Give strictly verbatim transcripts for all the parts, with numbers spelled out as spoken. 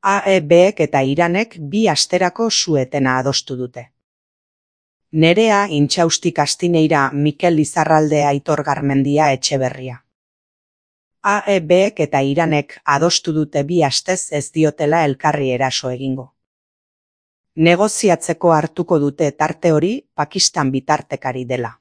A E Bek eta Iranek bi asterako su-etena adostu dute. Nerea Intxaustik Astineira, Mikel Lizarralde, Aitor Garmendia, Etxeberria. A E Bek eta Iranek adostu dute bi astez ez diotela elkarri eraso egingo. Negoziatzeko hartuko dute tarte hori Pakistan bitartekari dela.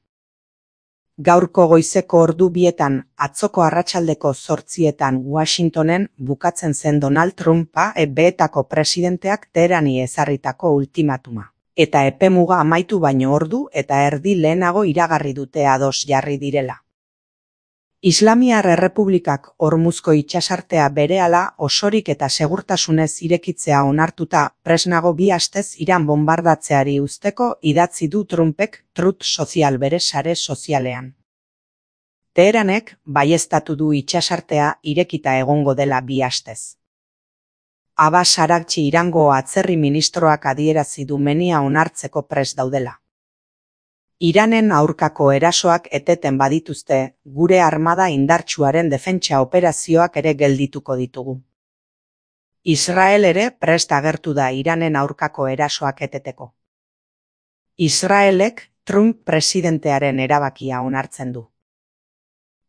Gaurko goizeko ordu bietan, atzoko arratsaldeko zortzietan Washingtonen bukatzen zen Donald Trump A E Betako presidenteak Teherani ezarritako ultimatuma. Eta epemuga amaitu baino ordu eta erdi lehenago iragarri dute ados jarri direla. Islamiar Errepublikak Hormuzko itsasartea berehala osorik eta segurtasunez irekitzea onartuta presnago bi astez Iran bonbardatzeari uzteko idatzi du Trumpek Truth Social bere sare sozialean. Teheranek baieztatu du itsasartea irekita egongo dela bi astez. Abbas Araghchi Irango atzerri ministroak adierazi du menia onartzeko prest daudela. Iranen aurkako erasoak eteten badituzte, gure armada indartsuaren defentsa operazioak ere geldituko ditugu. Israel ere prest agertu da Iranen aurkako erasoak eteteko. Israelek Trump presidentearen erabakia onartzen du.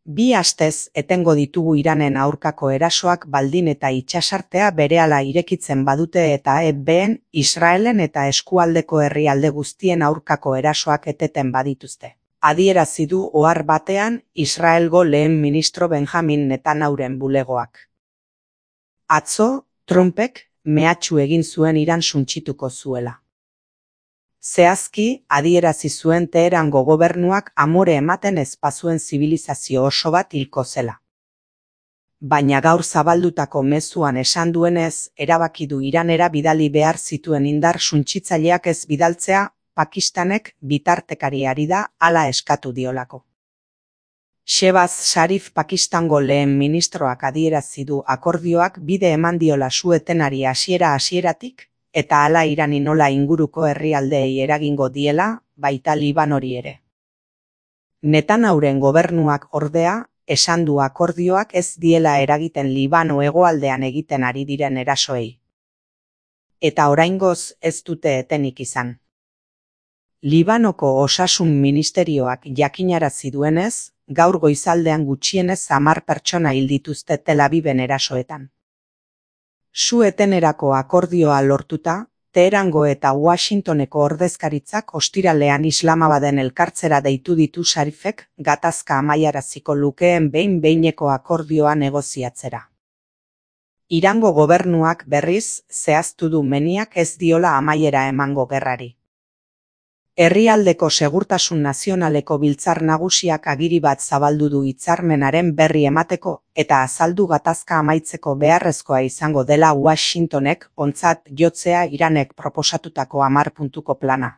Bi astez etengo ditugu Iranen aurkako erasoak baldin eta itsasartea berehala irekitzen badute eta A E Ben, Israelen eta eskualdeko herrialde guztien aurkako erasoak eteten badituzte. Adierazi du ohar batean Israelgo lehen ministro Benjamin Netanyahuren bulegoak. Atzo, Trumpek mehatxu egin zuen Iran suntsituko zuela. Zehazki, adierazi zuen Teherango gobernuak amore ematen ez bazuen zibilizazio oso bat hilko zela. Baina gaur zabaldutako mezuan esan duenez, erabaki du Iranera bidali behar zituen indar suntsitzaileak ez bidaltzea, Pakistanek bitartekari ari da hala eskatu diolako. Shehbaz Sharif Pakistango lehen ministroak adierazi du akordioak bide eman diola su-etenari hasiera hasieratik, eta hala Irani nola inguruko herrialdeei eragingo diela, baita Libanori ere. Netanyahuren gobernuak ordea, esan du akordioak ez diela eragiten Libano hegoaldean egiten ari diren erasoei. Eta oraingoz ez dute etenik izan. Libanoko osasun ministerioak jakinarazi duenez, gaur goizaldean gutxienez hamar pertsona hil dituzte Tel Aviven erasoetan. Su-etenerako akordioa lortuta, Teherango eta Washingtoneko ordezkaritzak ostiralean Islamabaden elkartzera deitu ditu Sharifek gatazka amaiaraziko lukeen behin-behineko akordioa negoziatzera. Irango gobernuak berriz zehaztu du meniak ez diola amaiera emango gerrari. Herrialdeko Segurtasun Nazionaleko Biltzar Nagusiak agiri bat zabaldu du hitzarmenaren berri emateko eta azaldu gatazka amaitzeko beharrezkoa izango dela Washingtonek ontzat jotzea Iranek proposatutako hamar puntuko plana.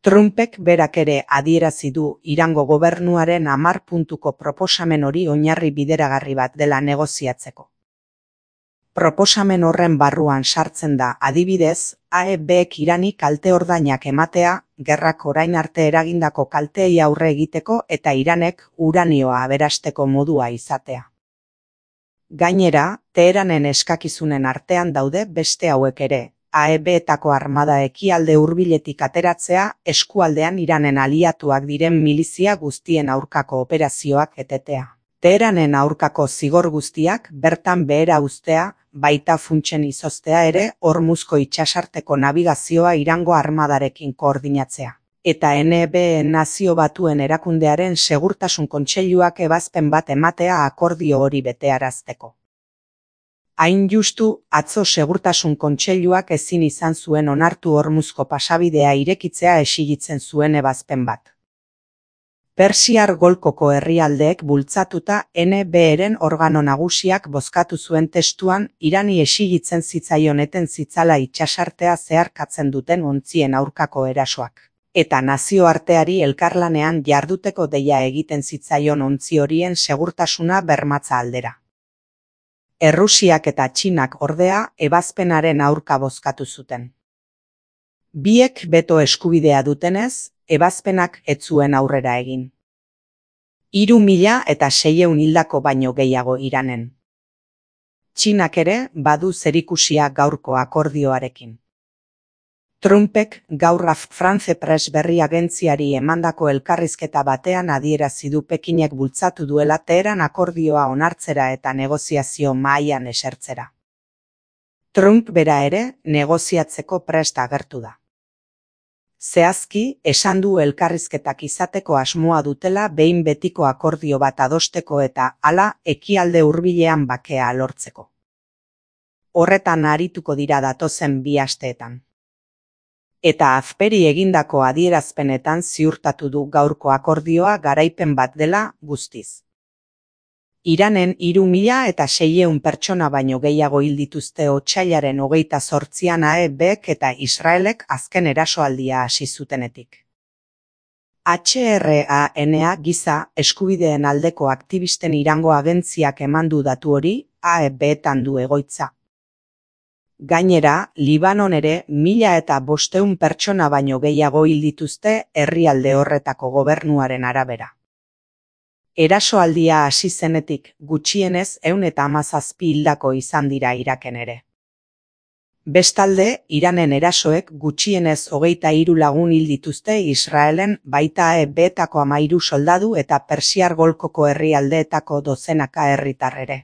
Trumpek berak ere adierazi du Irango gobernuaren hamar puntuko proposamen hori oinarri bideragarri bat dela negoziatzeko. Proposamen horren barruan sartzen da, adibidez, A E Bek Irani kalte ordainak ematea, gerrak orain arte eragindako kalteei aurre egiteko eta Iranek uranioa aberasteko modua izatea. Gainera, Teheranen eskakizunen artean daude beste hauek ere, A E Betako armada ekialde hurbiletik ateratzea, eskualdean Iranen aliatuak diren milizia guztien aurkako operazioak etetea. Teheranen aurkako zigor guztiak bertan behera uztea, baita funtsen izoztea ere Hormuzko itsasarteko nabigazioa Irango armadarekin koordinatzea. Eta N B Nazio Batuen erakundearen segurtasun kontseiluak ebazpen bat ematea akordio hori betearazteko. Hain justu, atzo segurtasun kontseiluak ezin izan zuen onartu Hormuzko pasabidea irekitzea exigitzen zuen ebazpen bat. Persiar golkoko herrialdeek bultzatuta N B-ren organo nagusiak bozkatu zuen testuan Irani exigitzen zitzaion eten zitzala itsasartea zeharkatzen duten ontzien aurkako erasoak. Eta nazioarteari elkarlanean jarduteko deia egiten zitzaion ontzi horien segurtasuna bermatza aldera. Errusiak eta Txinak ordea ebazpenaren aurka bozkatu zuten. Biek beto eskubidea dutenez, ebazpenak ez zuen aurrera egin. Hiru mila eta seiehun hildako baino gehiago Iranen. Txinak ere badu zerikusia gaurko akordioarekin. Trumpek gaur France Press berri agentziari emandako elkarrizketa batean adierazi du Pekinek bultzatu duela Teheran akordioa onartzera eta negoziazio mahaian esertzera. Trump bera ere negoziatzeko prest agertu da. Zehazki, esan du elkarrizketak izateko asmoa dutela behin betiko akordio bat adosteko eta hala ekialde hurbilean bakea lortzeko. Horretan arituko dira datozen bi asteetan. Eta azperi egindako adierazpenetan ziurtatu du gaurko akordioa garaipen bat dela guztiz. Iranen hiru mila eta seiehun pertsona baino gehiago hil dituzte otsailaren hogeita zortzian A E Bk eta Israelek azken erasoaldia hasi zutenetik. H R A N giza eskubideen aldeko aktivisten Irango agentziak eman du datu hori A E Btan du egoitza. Gainera, Libanon ere mila eta bostehun pertsona baino gehiago hil dituzte herrialde horretako gobernuaren arabera. Erasoaldia hasi zenetik gutxienez ehun eta hamazazpi hildako izan dira Iraken ere. Bestalde, Iranen erasoek gutxienez hogeita hiru lagun hil dituzte Israelen baita A E Btako hamahiru soldadu eta Persiar golkoko herrialdeetako dozenaka herritar ere.